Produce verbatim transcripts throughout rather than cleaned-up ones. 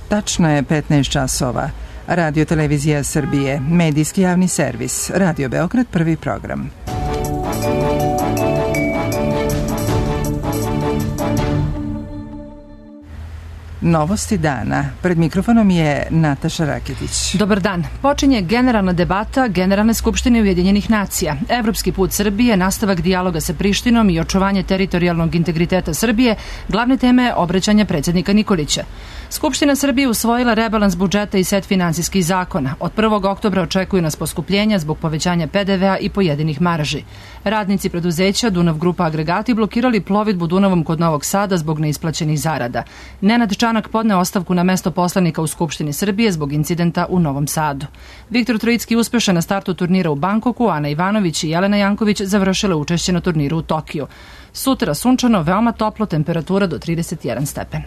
Tačno je petnaest časova. Radio Televizija Srbije, medijski javni servis, Radio Beograd, prvi program. Novosti dana. Pred mikrofonom je Nataša Raketić. Dobar dan. Počinje generalna debata Generalne skupštine Ujedinjenih nacija. Evropski put Srbije, nastavak dijaloga sa Prištinom i očuvanje teritorijalnog integriteta Srbije, glavne teme obraćanja predsjednika Nikolića. Skupština Srbije usvojila rebalans budžeta i set finansijskih zakona. Od prvog oktobra očekuju nas poskupljenja zbog povećanja pe de vea i pojedinih marži. Radnici preduzeća Dunav Grupa agregati blokirali plovidbu Dunavom kod Novog Sada zbog neisplaćenih zarada. Nenad Čanak podneo ostavku na mesto poslanika u Skupštini Srbije zbog incidenta u Novom Sadu. Viktor Trojicki uspešan na startu turnira u Bankoku, Ana Ivanović i Jelena Janković završile učešće na turniru u Tokiju. Sutra sunčano, veoma toplo, temperatura do trideset jedan stepen.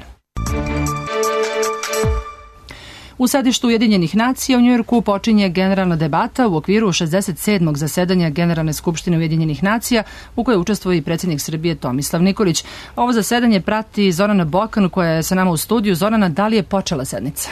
U sedištu Ujedinjenih nacija u Njujorku počinje generalna debata u okviru šezdeset sedmog zasedanja Generalne skupštine Ujedinjenih nacija u kojoj učestvuje i predsjednik Srbije Tomislav Nikolić. Ovo zasedanje prati Zorana Bokan koja je sa nama u studiju. Zorana, da li je počela sednica?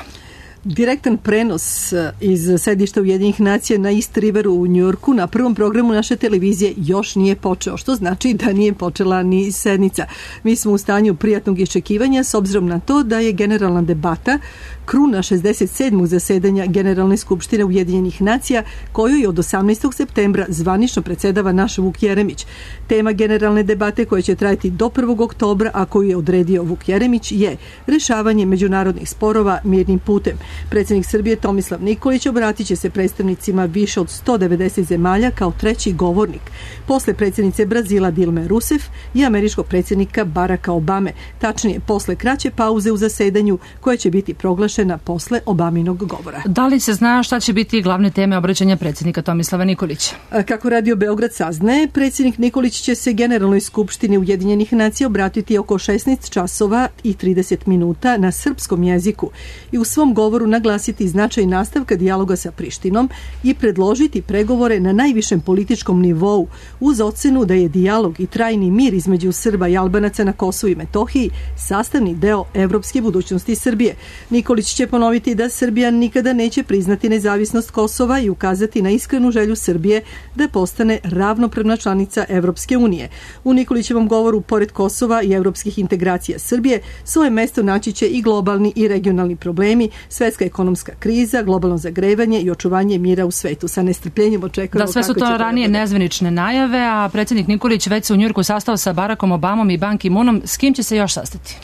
Direktan prenos iz sedišta Ujedinjenih nacija na East Riveru u Njujorku na prvom programu naše televizije još nije počeo, što znači da nije počela ni sednica. Mi smo u stanju prijatnog iščekivanja s obzirom na to da je generalna debata kruna šezdeset sedmog zasedanja Generalne skupštine Ujedinjenih nacija kojoj od osamnaestog septembra zvanično predsedava naš Vuk Jeremić. Tema generalne debate koja će trajati do prvog oktobra, a koju je odredio Vuk Jeremić, je rešavanje međunarodnih sporova mirnim putem. Predsjednik Srbije Tomislav Nikolić obratit će se predstavnicima više od sto devedeset zemalja kao treći govornik, posle predsjednice Brazila Dilme Rousseff i američkog predsjednika Baracka Obame, tačnije posle kraće pauze u zasedanju koja će biti proglašena posle Obaminog govora. Da li se zna šta će biti glavne teme obraćanja predsjednika Tomislava Nikolića? Kako Radio Beograd saznaje, predsjednik Nikolić će se Generalnoj skupštini Ujedinjenih nacija obratiti oko šesnaest časova i trideset minuta na srpskom jeziku i u svom govoru naglasiti značaj nastavka dijaloga sa Prištinom i predložiti pregovore na najvišem političkom nivou uz ocenu da je dijalog i trajni mir između Srba i Albanaca na Kosovu i Metohiji sastavni deo evropske budućnosti Srbije. Nikolić će ponoviti da Srbija nikada neće priznati nezavisnost Kosova i ukazati na iskrenu želju Srbije da postane ravnopravna članica Evropske unije. U Nikolićevom govoru, pored Kosova i evropskih integracija Srbije, svoje mesto naći će i globalni i regionalni problemi, svetska ekonomska kriza, globalno zagrevanje i očuvanje mira u svetu. Sa nestrpljenjem očekujemo. Da, sve su to ranije nezvanične najave, a predsjednik Nikolić već se u Njujorku sastao sa Barackom Obamom i Ban Ki-moonom. S kim će se još sastati?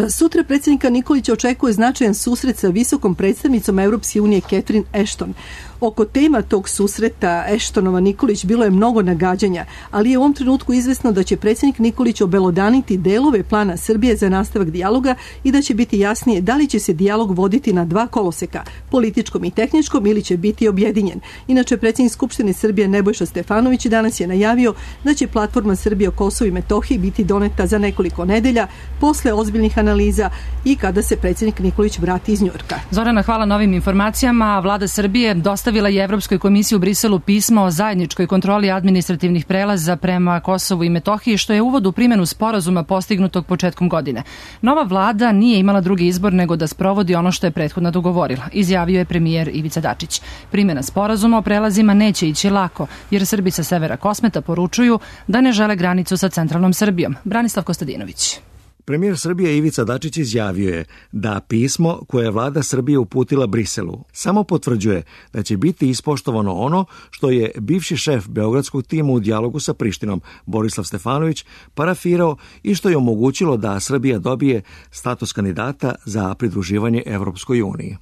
Sutra predsjednika Nikolića očekuje značajan susret sa visokom predstavnicom Evropske unije Catherine Ashton. Oko tema tog susreta Ashtonova Nikolić bilo je mnogo nagađanja, ali je u ovom trenutku izvesno da će predsjednik Nikolić obelodaniti delove plana Srbije za nastavak dijaloga i da će biti jasnije da li će se dijalog voditi na dva koloseka, političkom i tehničkom, ili će biti objedinjen. Inače, predsjednik Skupštine Srbije Nebojša Stefanović danas je najavio da će platforma Srbije o Kosovu i Metohiji biti doneta za nekoliko nedelja posle ozbiljnih analiza i kada se predsjednik Nikolić vrati iz Njujorka. Zorana, hvala na ovim informacijama. Vlada Srbije dostavila je Evropskoj komisiji u Briselu pismo o zajedničkoj kontroli administrativnih prelaza prema Kosovu i Metohiji, što je uvod u primjenu sporazuma postignutog početkom godine. Nova vlada nije imala drugi izbor nego da sprovodi ono što je prethodno dogovorila, izjavio je premijer Ivica Dačić. Primjena sporazuma o prelazima neće ići lako, jer Srbi sa severa Kosmeta poručuju da ne žele granicu sa centralnom Srbijom. Branislav Kostadinović. Premijer Srbije Ivica Dačić izjavio je da pismo koje je vlada Srbije uputila Briselu samo potvrđuje da će biti ispoštovano ono što je bivši šef beogradskog tima u dijalogu sa Prištinom Borislav Stefanović parafirao i što je omogućilo da Srbija dobije status kandidata za pridruživanje Evropskoj uniji.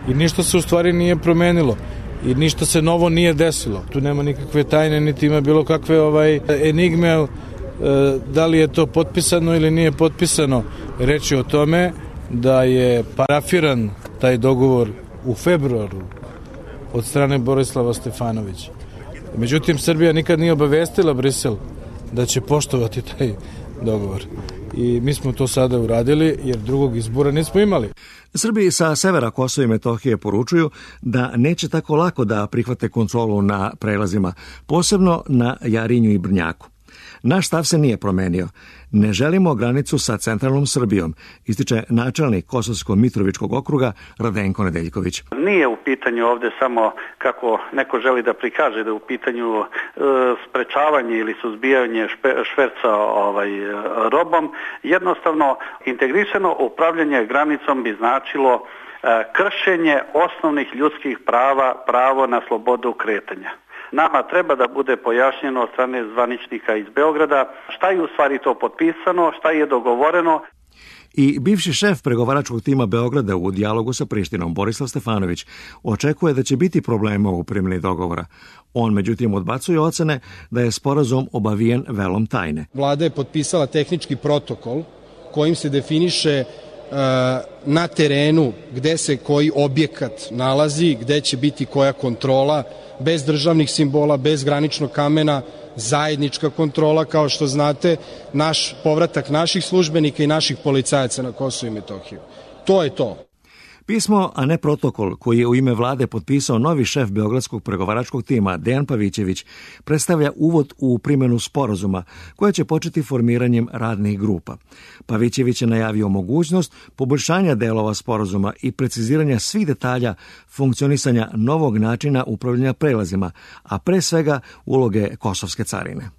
I ništa se u stvari nije promenilo i ništa se novo nije desilo. Tu nema nikakve tajne, niti ima bilo kakve ovaj enigme. Da li je to potpisano ili nije potpisano, reč je o tome da je parafiran taj dogovor u februaru od strane Borislava Stefanovića. Međutim, Srbija nikad nije obavestila Brisel da će poštovati taj dogovor. I mi smo to sada uradili jer drugog izbora nismo imali. Srbi sa severa Kosova i Metohije poručuju da neće tako lako da prihvate kontrolu na prelazima, posebno na Jarinju i Brnjaku. Naš stav se nije promenio. Ne želimo granicu sa centralnom Srbijom, ističe načelnik Kosovsko-Mitrovičkog okruga Radenko Nedeljković. Nije u pitanju ovde samo, kako neko želi da prikaže, da je u pitanju e, sprečavanje ili suzbijanje špe, šverca ovaj, robom. Jednostavno, integrisano upravljanje granicom bi značilo e, kršenje osnovnih ljudskih prava, pravo na slobodu kretanja. Nama treba da bude pojašnjeno od strane zvaničnika iz Beograda šta je u stvari to potpisano, šta je dogovoreno. I bivši šef pregovaračkog tima Beograda u dijalogu sa Prištinom, Borislav Stefanović, očekuje da će biti problema u primjeni dogovora. On, međutim, odbacuje ocene da je sporazum obavijen velom tajne. Vlada je potpisala tehnički protokol kojim se definiše na terenu gde se koji objekat nalazi, gde će biti koja kontrola, bez državnih simbola, bez graničnog kamena, zajednička kontrola, kao što znate, naš povratak naših službenika i naših policajaca na Kosovo i Metohiju. To je to. Pismo, a ne protokol, koji je u ime vlade potpisao novi šef beogradskog pregovaračkog tima Dejan Pavićević, predstavlja uvod u primjenu sporazuma, koja će početi formiranjem radnih grupa. Pavićević je najavio mogućnost poboljšanja delova sporazuma i preciziranja svih detalja funkcionisanja novog načina upravljanja prelazima, a pre svega uloge kosovske carine.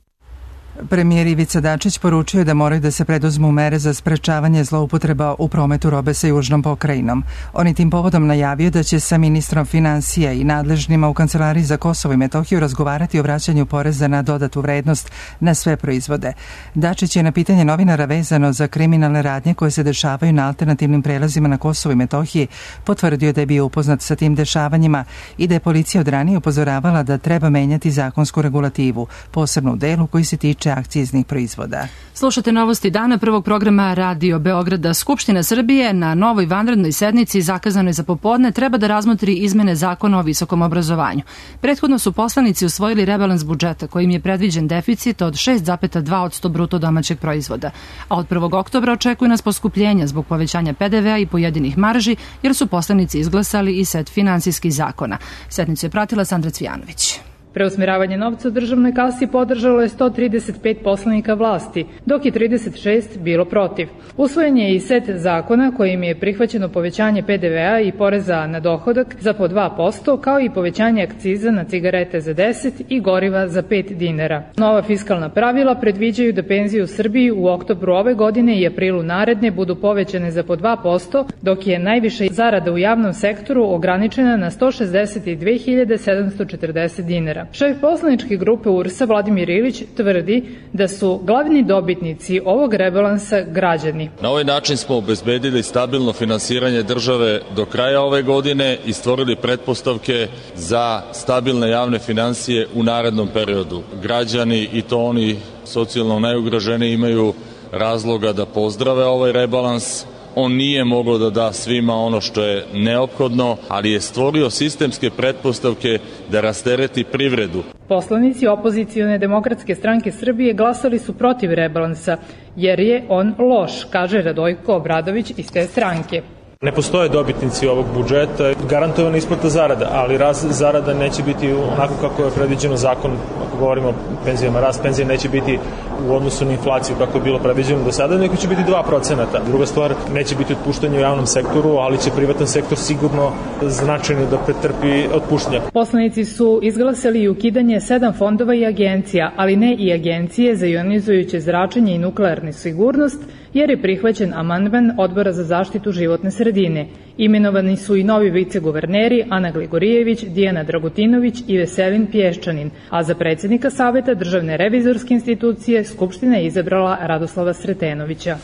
Premijer Ivica Dačić poručio da moraju da se preduzmu mere za sprečavanje zloupotreba u prometu robe sa južnom pokrajinom. On je tim povodom najavio da će sa ministrom finansija i nadležnima u Kancelariji za Kosovo i Metohiju razgovarati o vraćanju poreza na dodatu vrednost na sve proizvode. Dačić je na pitanje novinara vezano za kriminalne radnje koje se dešavaju na alternativnim prelazima na Kosovo i Metohiji potvrdio da je bio upoznat sa tim dešavanjima i da je policija od ranije upozoravala da treba menjati zakonsku regulativu, posebno u delu koji se tiče akciznih proizvoda. Slušate novosti dana prvog programa Radio Beograda. Skupština Srbije na novoj vanrednoj sednici zakazanoj za popodne treba da razmotri izmene zakona o visokom obrazovanju. Prethodno su poslanici usvojili rebalans budžeta kojim je predviđen deficit od šest zarez dva posto bruto domaćeg proizvoda, a od prvog oktobra očekuje nas poskupljenja zbog povećanja pe de vea i pojedinih marži, jer su poslanici izglasali i set finansijskih zakona. Sednicu je pratila Sandra Cvijanović. Preusmjeravanje novca u državnoj kasi podržalo je sto trideset pet poslanika vlasti, dok je trideset šest bilo protiv. Usvojen je i set zakona kojim je prihvaćeno povećanje pe de vea i poreza na dohodak za po dva posto, kao i povećanje akciza na cigarete za deset i goriva za pet dinara. Nova fiskalna pravila predviđaju da penzije u Srbiji u oktobru ove godine i aprilu naredne budu povećane za po dva posto, dok je najviša zarada u javnom sektoru ograničena na sto šezdeset dve hiljade sedamsto četrdeset dinara. Šef poslaničke grupe U R S A Vladimir Ilić tvrdi da su glavni dobitnici ovog rebalansa građani. Na ovaj način smo obezbedili stabilno finansiranje države do kraja ove godine i stvorili pretpostavke za stabilne javne finansije u narednom periodu. Građani, i to oni socijalno najugroženiji, imaju razloga da pozdrave ovaj rebalans. On nije mogao da da svima ono što je neophodno, ali je stvorio sistemske pretpostavke da rastereti privredu. Poslanici opozicione demokratske stranke Srbije glasali su protiv rebalansa, jer je on loš, kaže Radojko Obradović iz te stranke. Ne postoje dobitnici ovog budžeta, garantovana isplata zarada, ali rast zarada neće biti onako kako je predviđeno zakon, ako govorimo o penzijama, rast penzije neće biti u odnosu na inflaciju kako je bilo predviđeno do sada, nego će biti dva procenta. Druga stvar, neće biti otpuštanje u javnom sektoru, ali će privatan sektor sigurno značajno da pretrpi otpuštanje. Poslanici su izglasali i ukidanje sedam fondova i agencija, ali ne i agencije za ionizujuće zračenje i nuklearnu sigurnost, jer je prihvaćen amandman Odbora za zaštitu životne sredine. Imenovani su i novi viceguverneri Ana Gligorijević, Dijana Dragutinović i Veselin Pješčanin, a za predsjednika Saveta Državne revizorske institucije Skupština je izabrala Radoslava Sretenovića.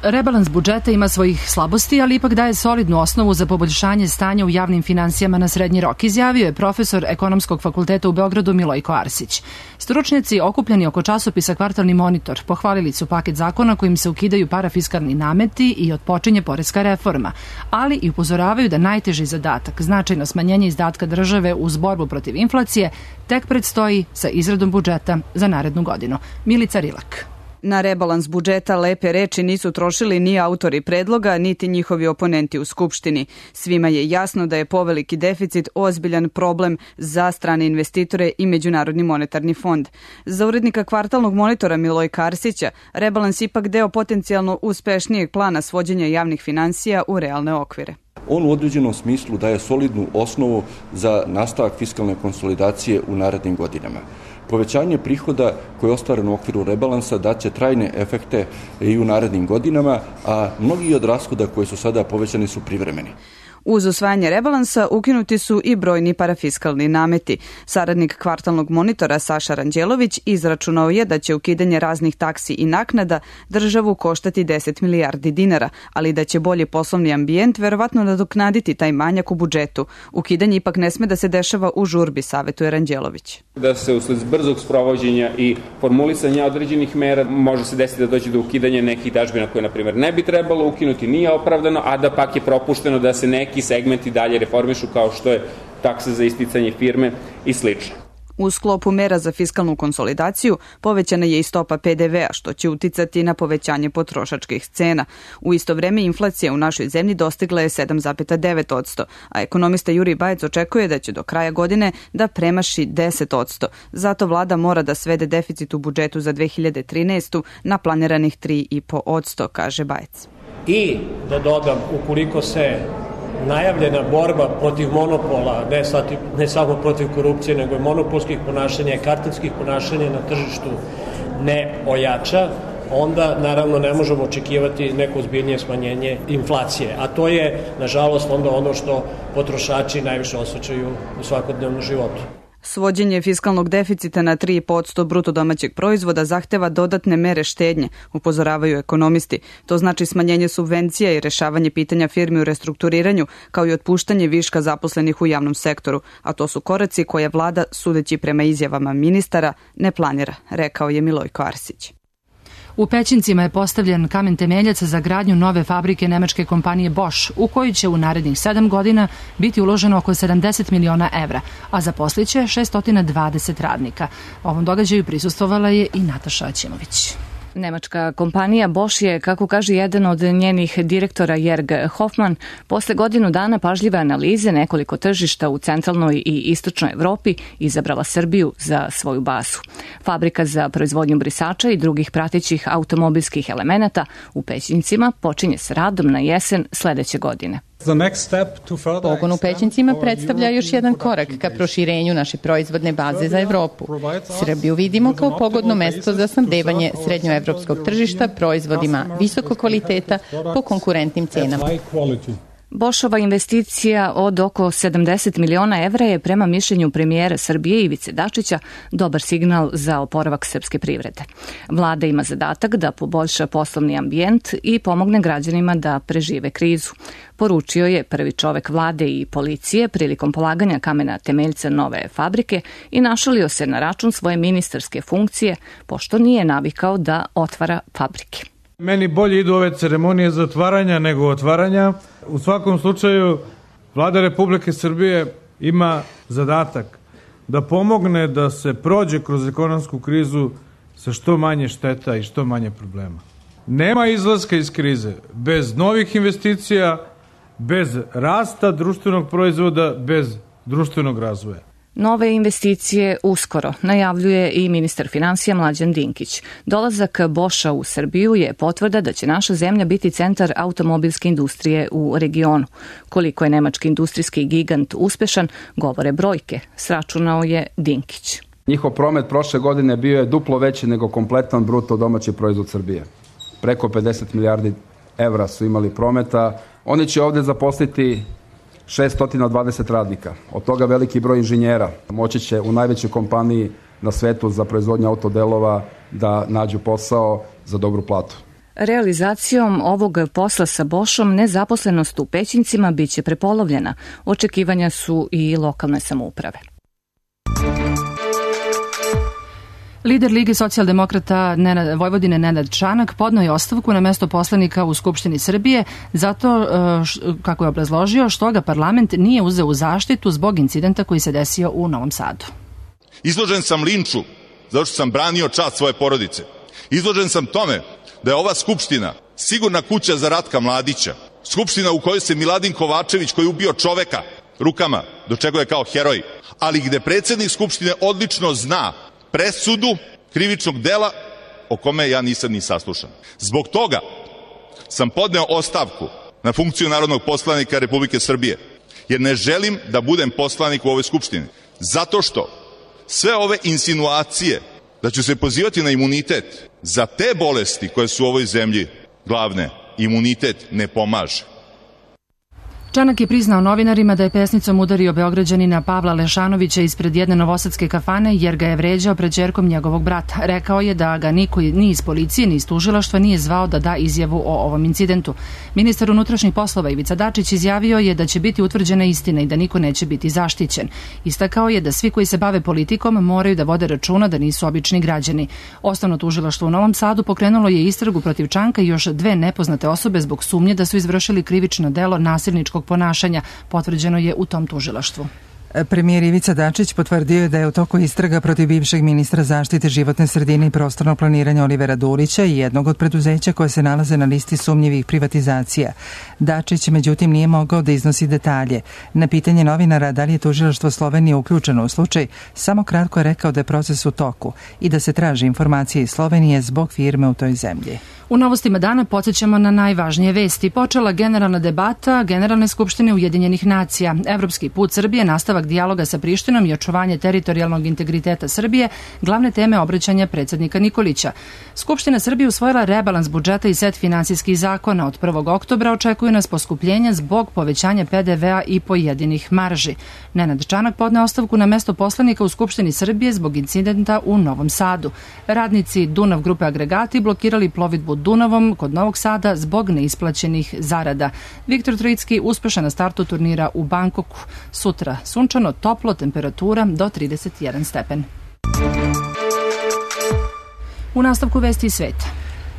Rebalans budžeta ima svojih slabosti, ali ipak daje solidnu osnovu za poboljšanje stanja u javnim finansijama na srednji rok, izjavio je profesor Ekonomskog fakulteta u Beogradu Milojko Arsić. Stručnjaci okupljeni oko časopisa Kvartalni monitor pohvalili su paket zakona kojim se ukidaju parafiskalni nameti i otpočinje poreska reforma, ali i upozoravaju da najteži zadatak, značajno smanjenje izdatka države uz borbu protiv inflacije, tek predstoji sa izradom budžeta za narednu godinu. Milica Rilak. Na rebalans budžeta lepe reči nisu trošili ni autori predloga, niti njihovi oponenti u Skupštini. Svima je jasno da je poveliki deficit ozbiljan problem za strane investitore i Međunarodni monetarni fond. Za urednika kvartalnog monitora Milojka Arsića, rebalans ipak deo potencijalno uspešnijeg plana svođenja javnih finansija u realne okvire. On u određenom smislu daje solidnu osnovu za nastavak fiskalne konsolidacije u narednim godinama. Povećanje prihoda koje je ostvareno u okviru rebalansa daće trajne efekte i u narednim godinama, a mnogi od rashoda koji su sada povećani su privremeni. Uz usvajanje rebalansa ukinuti su i brojni parafiskalni nameti. Saradnik kvartalnog monitora Saša Ranđelović izračunao je da će ukidanje raznih taksi i naknada državu koštati deset milijardi dinara, ali da će bolji poslovni ambijent verovatno nadoknaditi taj manjak u budžetu. Ukidanje ipak ne sme da se dešava u žurbi, savetuje Ranđelović. Da se usled brzog sprovođenja i formulisanja određenih mera može se desiti da dođe do ukidanja nekih dažbina koje, na primjer, ne bi trebalo ukinuti, nije opravdano, a da pak je propušteno da se neki neki segmenti dalje reformišu kao što je taksa za isticanje firme i slično. U sklopu mera za fiskalnu konsolidaciju povećana je i stopa P D V-a, što će uticati na povećanje potrošačkih cena. U isto vreme inflacija u našoj zemlji dostigla je sedam zarez devet posto, a ekonomista Jurij Bajec očekuje da će do kraja godine da premaši deset posto. Zato vlada mora da svede deficit u budžetu za dve hiljade trinaestu na planiranih tri zarez pet posto, kaže Bajec. I da dodam, ukoliko se najavljena borba protiv monopola, ne, sati, ne samo protiv korupcije, nego i monopolskih ponašanja i kartelskih ponašanja na tržištu ne ojača, onda naravno ne možemo očekivati neko ozbiljnije smanjenje inflacije. A to je, nažalost, onda ono što potrošači najviše osjećaju u svakodnevnom životu. Svođenje fiskalnog deficita na tri zarez pet posto bruto domaćeg proizvoda zahteva dodatne mere štednje, upozoravaju ekonomisti. To znači smanjenje subvencija i rešavanje pitanja firmi u restrukturiranju, kao i otpuštanje viška zaposlenih u javnom sektoru, a to su koraci koje vlada, sudeći prema izjavama ministara, ne planira, rekao je Milojko Arsić. U Pećincima je postavljen kamen temeljac za gradnju nove fabrike nemačke kompanije Bosch, u koju će u narednih sedam godina biti uloženo oko sedamdeset miliona evra, a zaposliće šesto dvadeset radnika. Ovom događaju prisustvovala je i Nataša Aćimović. Nemačka kompanija Bosch je, kako kaže jedan od njenih direktora Jörg Hoffmann, posle godinu dana pažljive analize nekoliko tržišta u centralnoj i istočnoj Evropi izabrala Srbiju za svoju bazu. Fabrika za proizvodnju brisača i drugih pratećih automobilskih elemenata u Pećincima počinje s radom na jesen sledeće godine. Pogon u Pećincima predstavlja još jedan korak ka proširenju naše proizvodne baze za Evropu. Srbiju vidimo kao pogodno mesto za snabdevanje srednjoevropskog tržišta proizvodima visokog kvaliteta po konkurentnim cenama. Boschova investicija od oko sedamdeset miliona evra je prema mišljenju premijera Srbije Ivice Dačića dobar signal za oporavak srpske privrede. Vlada ima zadatak da poboljša poslovni ambijent i pomogne građanima da prežive krizu. Poručio je prvi čovek vlade i policije prilikom polaganja kamena temeljca nove fabrike i našalio se na račun svoje ministarske funkcije, pošto nije navikao da otvara fabrike. Meni bolje idu ove ceremonije zatvaranja nego otvaranja. U svakom slučaju, Vlada Republike Srbije ima zadatak da pomogne da se prođe kroz ekonomsku krizu sa što manje šteta i što manje problema. Nema izlaska iz krize bez novih investicija, bez rasta društvenog proizvoda, bez društvenog razvoja. Nove investicije uskoro, najavljuje i ministar finansija Mlađan Dinkić. Dolazak Boscha u Srbiju je potvrda da će naša zemlja biti centar automobilske industrije u regionu. Koliko je nemački industrijski gigant uspešan, govore brojke, sračunao je Dinkić. Njihov promet prošle godine bio je duplo veći nego kompletan bruto domaći proizvod Srbije. Preko pedeset milijardi evra su imali prometa. Oni će ovde zaposliti šesto dvadeset radnika, od toga veliki broj inženjera. Moći će u najvećoj kompaniji na svetu za proizvodnju autodelova da nađu posao za dobru platu. Realizacijom ovog posla sa Boschom nezaposlenost u Pećincima biće prepolovljena. Očekivanja su i lokalne samouprave. Lider Lige socijaldemokrata Nenad, Vojvodine Nenad Čanak podneo je ostavku na mesto poslanika u Skupštini Srbije zato, kako je obrazložio, što ga parlament nije uzeo u zaštitu zbog incidenta koji se desio u Novom Sadu. Izložen sam linču zato što sam branio čast svoje porodice. Izložen sam tome da je ova skupština sigurna kuća za Ratka Mladića, skupština u kojoj se Miladin Kovačević, koji je ubio čoveka rukama, do čega je kao heroj, ali gde predsjednik skupštine odlično zna presudu krivičnog dela o kome ja nisam ni saslušan. Zbog toga sam podneo ostavku na funkciju narodnog poslanika Republike Srbije, jer ne želim da budem poslanik u ovoj skupštini. Zato što sve ove insinuacije da ću se pozivati na imunitet za te bolesti koje su u ovoj zemlji glavne, imunitet ne pomaže. Čanak je priznao novinarima da je pesnicom udario Beograđanina Pavla Lešanovića ispred jedne novosadske kafane jer ga je vređao pred ćerkom njegovog brata. Rekao je da ga niko ni iz policije ni iz tužilaštva nije zvao da da izjavu o ovom incidentu. Ministar unutrašnjih poslova Ivica Dačić izjavio je da će biti utvrđena istina i da niko neće biti zaštićen. Istakao je da svi koji se bave politikom moraju da vode računa da nisu obični građani. Osnovno tužilaštvo u Novom Sadu pokrenulo je istragu protiv Čanka i još dve nepoznate osobe zbog sumnje da su izvršili krivično delo nasilničkog ponašanja, potvrđeno je u tom tužilaštvu. Premijer Ivica Dačić potvrdio je da je u toku istraga protiv bivšeg ministra zaštite životne sredine i prostornog planiranja Olivera Dulića i jednog od preduzeća koje se nalaze na listi sumnjivih privatizacija. Dačić, međutim, nije mogao da iznosi detalje. Na pitanje novinara da li je tužilaštvo Slovenije uključeno u slučaj, samo kratko je rekao da je proces u toku i da se traži informacije iz Slovenije zbog firme u toj zemlji. U novostima dana podsjećamo na najvažnije vesti. Počela generalna debata Generalne skupštine Ujedinjenih nacija. Evropski put Srbije, nastavak dijaloga sa Prištinom i očuvanje teritorijalnog integriteta Srbije, glavne teme obraćanja predsjednika Nikolića. Skupština Srbije usvojila rebalans budžeta i set finansijskih zakona. Od prvog oktobra očekuju nas poskupljenja zbog povećanja pe de ve a i pojedinih marži. Nenad Čanak podne ostavku na mesto poslanika u Skupštini Srbije zbog incidenta u Novom Sadu. Radnici Dunav grupe Agregati blokirali plovidbu Dunavom kod Novog Sada zbog neisplaćenih zarada. Viktor Trojicki uspešan na startu turnira u Bangkoku. Sutra sunčano, toplo, temperatura do trideset jedan stepen. U nastavku vesti iz sveta.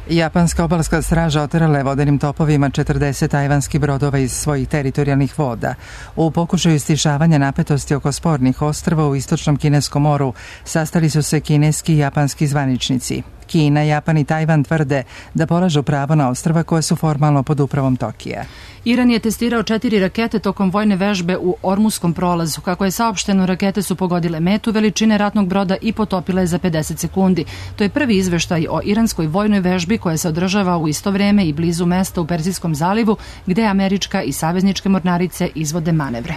Japanska obalska straža oterala je vodenim topovima četrdeset tajvanskih brodova iz svojih teritorijalnih voda. U pokušaju stišavanja napetosti oko spornih ostrva u istočnom kineskom moru sastali su se kineski i japanski zvaničnici. Kina, Japan i Tajvan tvrde da polažu pravo na ostrva koje su formalno pod upravom Tokija. Iran je testirao četiri rakete tokom vojne vežbe u Ormuskom prolazu. Kako je saopšteno, rakete su pogodile metu veličine ratnog broda i potopile za pedeset sekundi. To je prvi izveštaj o iranskoj vojnoj vežbi koja se održava u isto vreme i blizu mesta u Perzijskom zalivu, gde američka i savezničke mornarice izvode manevre.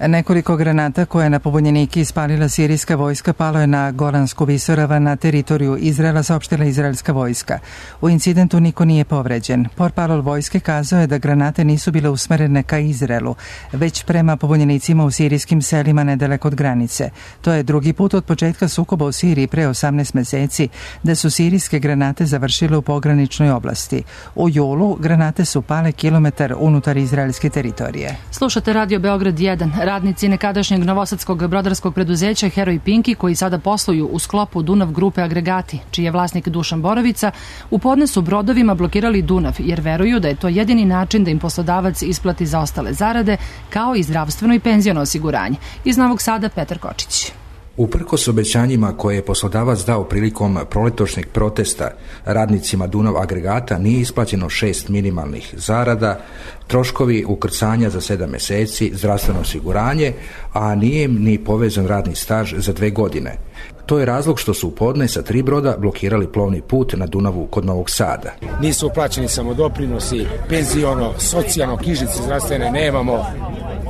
Nekoliko granata koje je na pobunjenike ispalila sirijska vojska palo je na Golansku visoravan na teritoriju Izraela, saopštila izraelska vojska. U incidentu niko nije povređen. Portparol vojske kazao je da granate nisu bile usmerene ka Izraelu, već prema pobunjenicima u sirijskim selima nedaleko od granice. To je drugi put od početka sukoba u Siriji pre osamnaest meseci da su sirijske granate završile u pograničnoj oblasti. U julu granate su pale kilometar unutar izraelske teritorije. Slušate Radio Beograd jedan. Radnici nekadašnjeg novosadskog brodarskog preduzeća Heroj Pinki, koji sada posluju u sklopu Dunav grupe Agregati, čiji je vlasnik Dušan Borovica, u podne su brodovima blokirali Dunav, jer veruju da je to jedini način da im poslodavac isplati zaostale zarade, kao i zdravstveno i penziono osiguranje. Iz Novog Sada Petar Kočić. Uprkos obećanjima koje je poslodavac dao prilikom proletošnjeg protesta radnicima Dunav Agregata nije isplaćeno šest minimalnih zarada, troškovi ukrcanja za sedam meseci, zdravstveno osiguranje, a nije im ni povezan radni staž za dve godine. To je razlog što su u podne sa tri broda blokirali plovni put na Dunavu kod Novog Sada. Nisu uplaćeni samo doprinosi, penziono, socijalno, knjižice zdravstvene nemamo,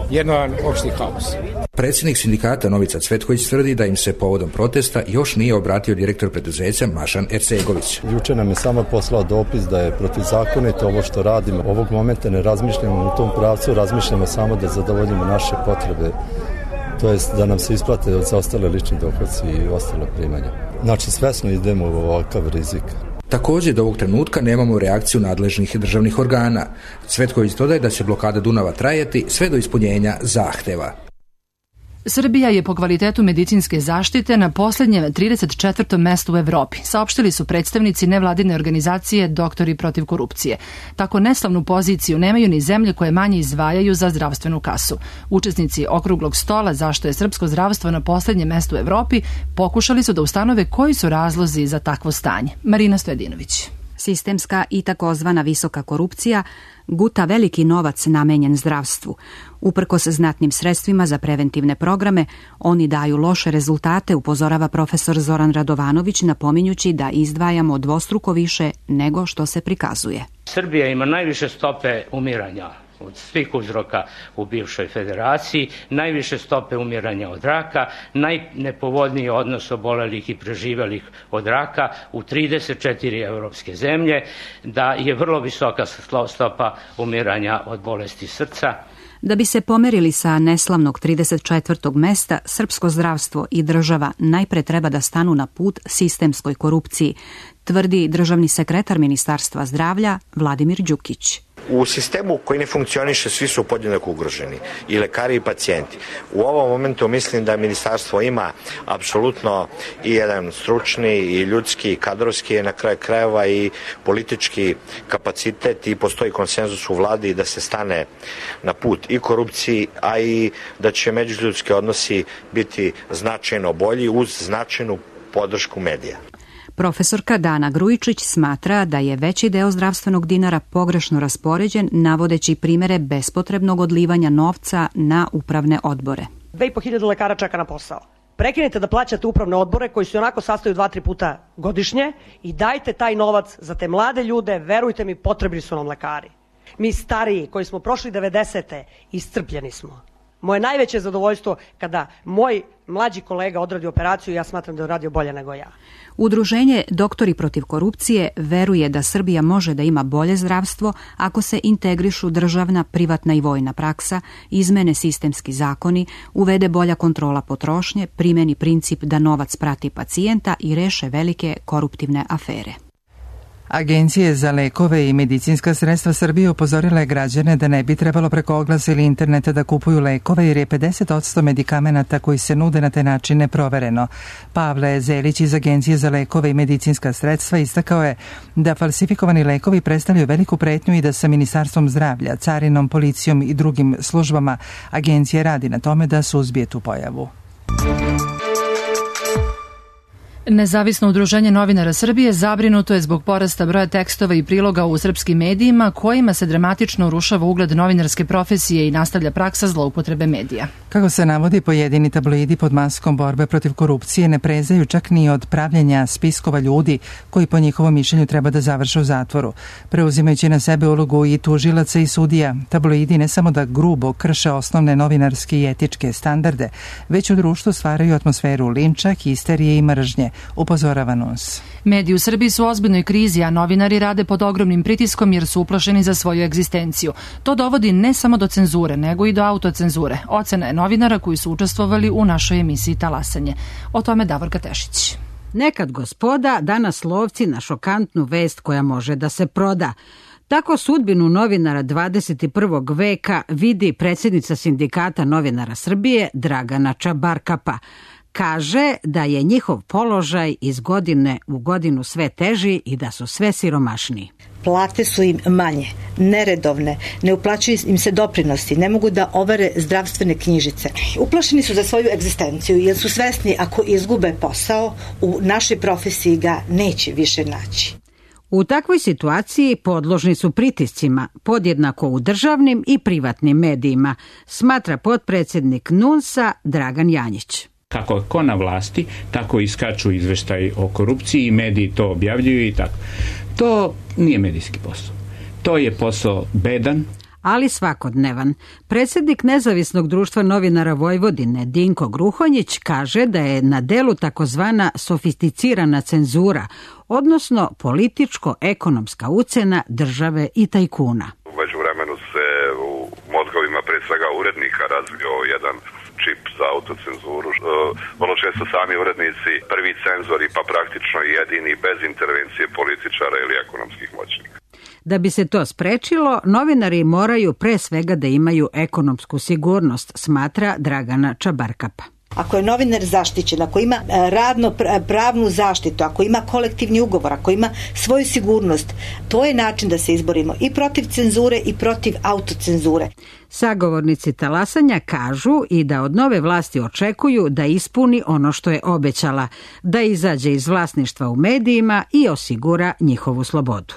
jedan opšti haos. Predsjednik sindikata Novica Cvetković tvrdi da im se povodom protesta još nije obratio direktor preduzeća Mašan Ercegović. Juče nam je samo poslao dopis da je protivzakonito ovo što radimo. Ovog momenta ne razmišljamo u tom pravcu, razmišljamo samo da zadovoljimo naše potrebe, to jest da nam se isplate od zaostale lični dohodci i ostale primanja. Znači svesno idemo u ovakav rizik. Također do ovog trenutka nemamo reakciju nadležnih državnih organa. Cvetković dodaje da će blokada Dunava trajati sve do ispunjenja zahteva. Srbija je po kvalitetu medicinske zaštite na poslednjem trideset četvrtom mestu u Evropi, saopštili su predstavnici nevladine organizacije Doktori protiv korupcije. Tako neslavnu poziciju nemaju ni zemlje koje manje izdvajaju za zdravstvenu kasu. Učesnici okruglog stola zašto je srpsko zdravstvo na poslednjem mestu u Evropi pokušali su da ustanove koji su razlozi za takvo stanje. Marina Stojadinović. Sistemska i takozvana visoka korupcija guta veliki novac namenjen zdravstvu. Uprkos znatnim sredstvima za preventivne programe, oni daju loše rezultate, upozorava profesor Zoran Radovanović, napominjući da izdvajamo dvostruko više nego što se prikazuje. Srbija ima najviše stope umiranja od svih uzroka u bivšoj federaciji, najviše stope umiranja od raka, najnepovoljniji odnos obolelih i preživelih od raka u trideset četiri evropske zemlje, da je vrlo visoka stopa umiranja od bolesti srca. Da bi se pomerili sa neslavnog trideset četvrtog mesta, srpsko zdravstvo i država najpre treba da stanu na put sistemskoj korupciji, tvrdi državni sekretar Ministarstva zdravlja Vladimir Đukić. U sistemu koji ne funkcioniše svi su podjednako ugroženi, i lekari i pacijenti. U ovom momentu mislim da ministarstvo ima apsolutno i jedan stručni i ljudski i kadrovski, na kraju krajeva i politički kapacitet i postoji konsenzus u vladi da se stane na put i korupciji, a i da će međuljudski odnosi biti značajno bolji uz značajnu podršku medija. Profesorka Dana Grujičić smatra da je veći deo zdravstvenog dinara pogrešno raspoređen, navodeći primere bespotrebnog odlivanja novca na upravne odbore. dve i po hiljade lekara čeka na posao. Prekinite da plaćate upravne odbore koji se onako sastaju dva, tri puta godišnje i dajte taj novac za te mlade ljude, verujte mi, potrebni su nam lekari. Mi stariji koji smo prošli devedesete iscrpljeni smo. Moje najveće zadovoljstvo kada moj mlađi kolega odradi operaciju, ja smatram da je uradio bolje nego ja. Udruženje Doktori protiv korupcije veruje da Srbija može da ima bolje zdravstvo ako se integrišu državna, privatna i vojna praksa, izmene sistemski zakoni, uvede bolja kontrola potrošnje, primeni princip da novac prati pacijenta i reše velike koruptivne afere. Agencije za lekove i medicinska sredstva Srbije upozorile građane da ne bi trebalo preko oglasa ili interneta da kupuju lekove jer je pedeset posto medikamenata koji se nude na taj način neprovereno. Pavle Zelić iz Agencije za lekove i medicinska sredstva istakao je da falsifikovani lekovi predstavljaju veliku pretnju i da sa Ministarstvom zdravlja, carinom, policijom i drugim službama agencija radi na tome da suzbije tu pojavu. Nezavisno udruženje novinara Srbije zabrinuto je zbog porasta broja tekstova i priloga u srpskim medijima kojima se dramatično urušava ugled novinarske profesije i nastavlja praksa zloupotrebe medija. Kako se navodi, pojedini tabloidi pod maskom borbe protiv korupcije ne prezaju čak ni od pravljenja spiskova ljudi koji po njihovom mišljenju treba da završe u zatvoru. Preuzimajući na sebe ulogu i tužilaca i sudija, tabloidi ne samo da grubo krše osnovne novinarske i etičke standarde, već u društvu stvaraju atmosferu linča, histerije i mržnje, upozorava N U S. Mediji u Srbiji su u ozbiljnoj krizi, a novinari rade pod ogromnim pritiskom jer su uplašeni za svoju egzistenciju. To dovodi ne samo do cenzure, nego i do autocenzure. Ocena je novinara koji su učestvovali u našoj emisiji Talasanje. O tome Davorka Tešić. Nekad gospoda, danas lovci na šokantnu vest koja može da se proda. Tako sudbinu novinara dvadeset prvog veka vidi predsjednica Sindikata novinara Srbije Dragana Čabarkapa. Kaže da je njihov položaj iz godine u godinu sve teži i da su sve siromašniji. Plate su im manje, neredovne, ne uplaćuju im se doprinosi, ne mogu da overe zdravstvene knjižice. Uplašeni su za svoju egzistenciju jer su svesni ako izgube posao, u našoj profesiji ga neće više naći. U takvoj situaciji podložni su pritiscima, podjednako u državnim i privatnim medijima, smatra potpredsjednik N U S-a Dragan Janjić. Kako je ko na vlasti, tako iskaču izveštaji o korupciji i mediji to objavljuju i tako. To nije medijski posao. To je posao bedan, ali svakodnevan. Predsjednik Nezavisnog društva novinara Vojvodine Dinko Gruhonjić kaže da je na delu takozvana sofisticirana cenzura, odnosno političko-ekonomska ucena države i tajkuna. U međuvremenu se u mozgovima pre svega urednika razvio jedan čip za autocenzuru. Vrlo često sami urednici prvi cenzori, pa praktično jedini bez intervencije političara ili ekonomskih moćnika. Da bi se to sprečilo, novinari moraju pre svega da imaju ekonomsku sigurnost, smatra Dragana Čabarkapa. Ako je novinar zaštićen, ako ima radno pravnu zaštitu, ako ima kolektivni ugovor, ako ima svoju sigurnost, to je način da se izborimo i protiv cenzure i protiv autocenzure. Sagovornici talasanja kažu i da od nove vlasti očekuju da ispuni ono što je obećala, da izađe iz vlasništva u medijima i osigura njihovu slobodu.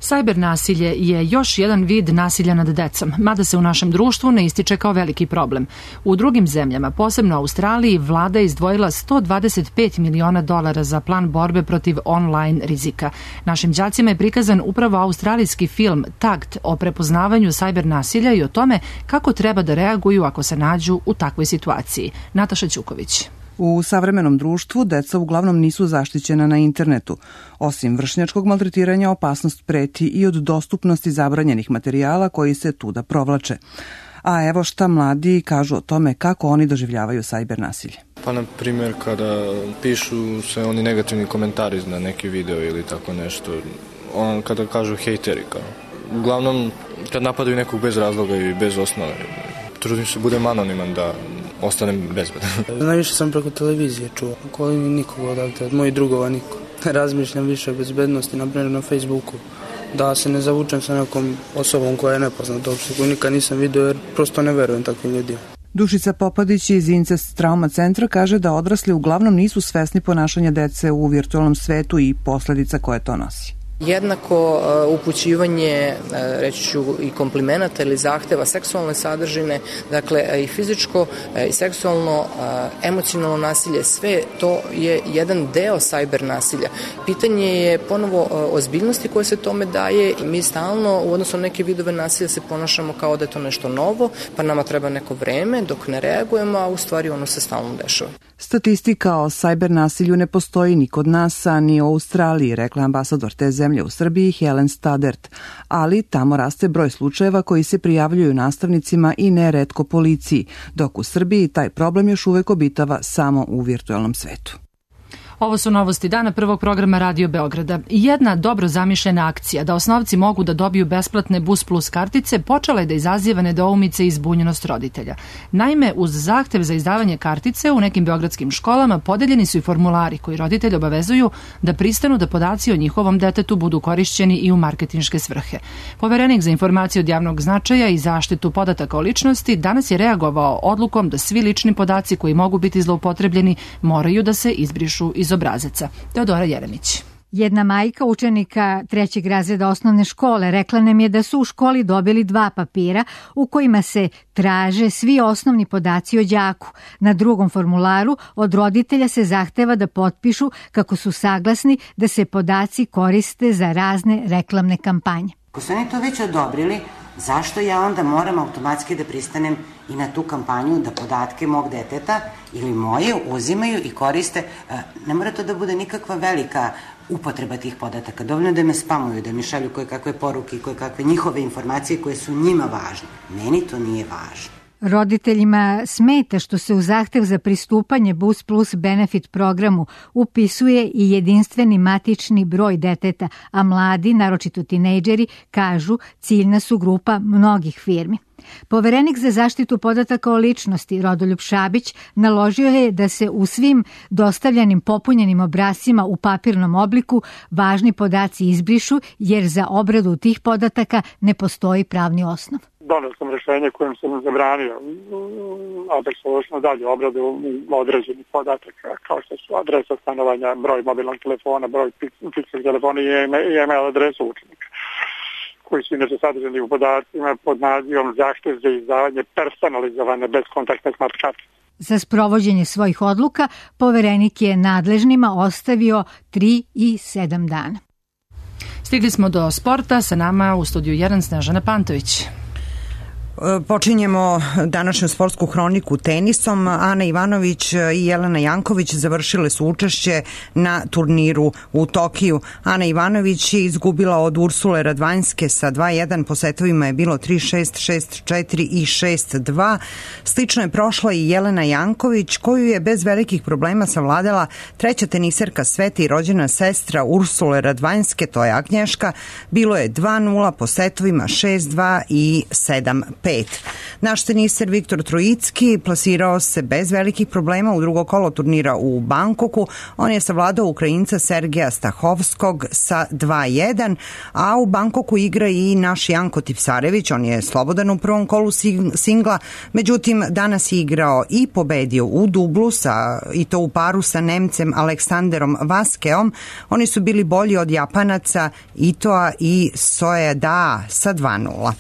Sajber nasilje je još jedan vid nasilja nad decom, mada se u našem društvu ne ističe kao veliki problem. U drugim zemljama, posebno Australiji, vlada je izdvojila sto dvadeset pet miliona dolara za plan borbe protiv online rizika. Našim đacima je prikazan upravo australijski film Tagged o prepoznavanju sajber nasilja i o tome kako treba da reaguju ako se nađu u takvoj situaciji. Nataša Ćuković. U savremenom društvu deca uglavnom nisu zaštićena na internetu. Osim vršnjačkog maltretiranja, opasnost preti i od dostupnosti zabranjenih materijala koji se tuda provlače. A evo šta mladi kažu o tome kako oni doživljavaju sajber nasilje. Pa na primjer kada pišu se oni negativni komentari na neki video ili tako nešto, on, kada kažu hejteri kao. Uglavnom kad napadaju nekog bez razloga i bez osnove, trudim se budem anoniman da ostanem bezbedan. Najviše sam preko televizije čuo, koji mi nikoga odavde, od mojih drugova niko. Razmišljam više o bezbednosti, na primjer na Facebooku, da se ne zavučem sa nekom osobom koja je nepoznata uopšte, koju nikad nisam vidio jer prosto ne verujem takvim ljudima. Dušica Popadić iz Incest Trauma centra kaže da odrasli uglavnom nisu svesni ponašanja dece u virtualnom svetu i posledica koje to nosi. Jednako uh, upućivanje, uh, reći ću, i komplimenata ili zahteva seksualne sadržine, dakle uh, i fizičko uh, i seksualno, uh, emocionalno nasilje, sve to je jedan deo sajber nasilja. Pitanje je ponovo uh, ozbiljnosti koje se tome daje i mi stalno u odnosu na neke vidove nasilja se ponašamo kao da je to nešto novo, pa nama treba neko vreme dok ne reagujemo, a u stvari ono se stalno dešava. Statistika o sajber nasilju ne postoji ni kod nas, a ni u Australiji, rekla ambasador te zemlje u Srbiji Helen Stadert, ali tamo raste broj slučajeva koji se prijavljuju nastavnicima i neretko policiji, dok u Srbiji taj problem još uvek obitava samo u virtualnom svetu. Ovo su novosti dana prvog programa Radio Beograda. Jedna dobro zamišljena akcija da osnovci mogu da dobiju besplatne Bus Plus kartice počela je da izaziva nedoumice i zbunjenost roditelja. Naime, uz zahtev za izdavanje kartice u nekim beogradskim školama podeljeni su i formulari koji roditelj obavezuju da pristanu da podaci o njihovom detetu budu korišćeni i u marketinške svrhe. Poverenik za informacije od javnog značaja i zaštitu podataka o ličnosti danas je reagovao odlukom da svi lični podaci koji mogu biti zloupotrebljeni moraju da se izbrišu iz obrazaca. Teodora Jeremić. Jedna majka učenika trećeg razreda osnovne škole rekla nam je da su u školi dobili dva papira u kojima se traže svi osnovni podaci o đaku. Na drugom formularu od roditelja se zahteva da potpišu kako su saglasni da se podaci koriste za razne reklamne kampanje. Ako su oni to već odobrili, zašto ja onda moram automatski da pristanem i na tu kampanju da podatke mog deteta ili moje uzimaju i koriste? Ne mora to da bude nikakva velika upotreba tih podataka. Dovoljno da me spamuju, da mi šalju koje kakve poruke i koje kakve njihove informacije koje su njima važne. Meni to nije važno. Roditeljima smeta što se u zahtev za pristupanje Bus Plus benefit programu upisuje i jedinstveni matični broj deteta, a mladi, naročito tinejdžeri, kažu ciljna su grupa mnogih firmi. Poverenik za zaštitu podataka o ličnosti Rodoljub Šabić naložio je da se u svim dostavljanim popunjenim obrascima u papirnom obliku važni podaci izbrišu jer za obradu tih podataka ne postoji pravni osnov. Donio sam rešenje kojim sam zabranio adresovano dalje obradu određenih podataka kao što su adresa stanovanja, broj mobilnog telefona, broj fiksnog telefona i e-mail adresu učenika, koji su inače sadržani u podacima pod nazivom zahtev za izdavanje personalizovane bezkontaktne smart karte. Za sprovođenje svojih odluka poverenik je nadležnima ostavio tri i sedam dana. Stigli smo do sporta, sa nama u studiju jedan Snežana Pantović. Počinjemo današnju sportsku hroniku tenisom. Ana Ivanović i Jelena Janković završile su učešće na turniru u Tokiju. Ana Ivanović je izgubila od Ursule Radvanjske sa dva jedan, po setovima je bilo tri šest, šest četiri i šest dva. Slično je prošla i Jelena Janković, koju je bez velikih problema savladala treća teniserka sveta i rođena sestra Ursule Radvanjske, to je Agnješka. Bilo je dva nula, po setovima šest dva i sedam pet. Naš teniser Viktor Trojicki plasirao se bez velikih problema u drugo kolo turnira u Bankoku. On je savladao Ukrajinca Sergeja Stahovskog sa dva jedan, a u Bankoku igra i naš Janko Tipsarević. On je slobodan u prvom kolu singla, međutim danas je igrao i pobedio u dublu sa, i to u paru sa Nemcem Aleksanderom Vaskeom. Oni su bili bolji od Japanaca Itoa i Soeda sa dva nula.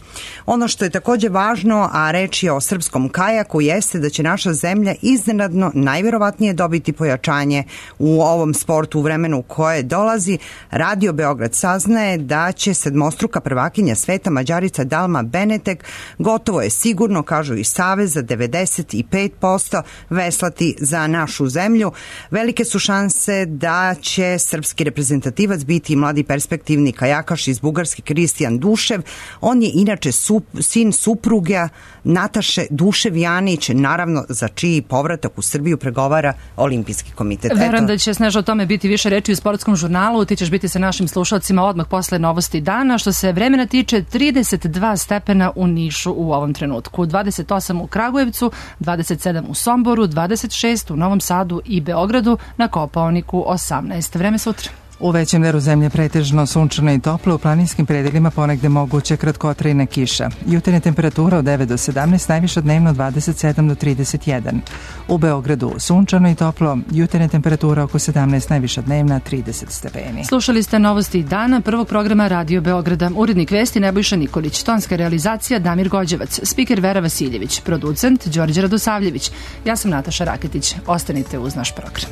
Ono što je također važno, a reč je o srpskom kajaku, jeste da će naša zemlja iznenadno najverovatnije dobiti pojačanje u ovom sportu u vremenu koje dolazi. Radio Beograd saznaje da će sedmostruka prvakinja sveta Mađarica Dalma Benetek, gotovo je sigurno, kažu i Savez, za devedeset pet posto veslati za našu zemlju. Velike su šanse da će srpski reprezentativac biti mladi perspektivni kajakaš iz Bugarske Kristijan Dušev. On je inače sup, sin supruga Nataše Dušev Janić, naravno za čiji povratak u Srbiju pregovara Olimpijski komitet. Verujem da će, Sneža, o tome biti više reči u sportskom žurnalu. Ti ćeš biti sa našim slušalcima odmah posle novosti dana. Što se vremena tiče, trideset dva stepena u Nišu u ovom trenutku, dvadeset osam u Kragujevcu, dvadeset sedam u Somboru, dvadeset šest u Novom Sadu i Beogradu, na Kopaoniku osamnaest. Vreme sutra. U većem delu zemlje pretežno sunčano i toplo, u planinskim predelima ponegde moguće kratkotrajna kiša. Jutarnja temperatura od devet do sedamnaest, najviša dnevno dvadeset sedam do trideset jedan. U Beogradu sunčano i toplo, jutarnja temperatura oko sedamnaest, najviša dnevna trideset stepeni. Slušali ste novosti dana prvog programa Radio Beograda. Urednik vesti Nebojša Nikolić, tonska realizacija Damir Gođevac, spiker Vera Vasiljević, producent Đorđe Radosavljević. Ja sam Nataša Raketić. Ostanite uz naš program.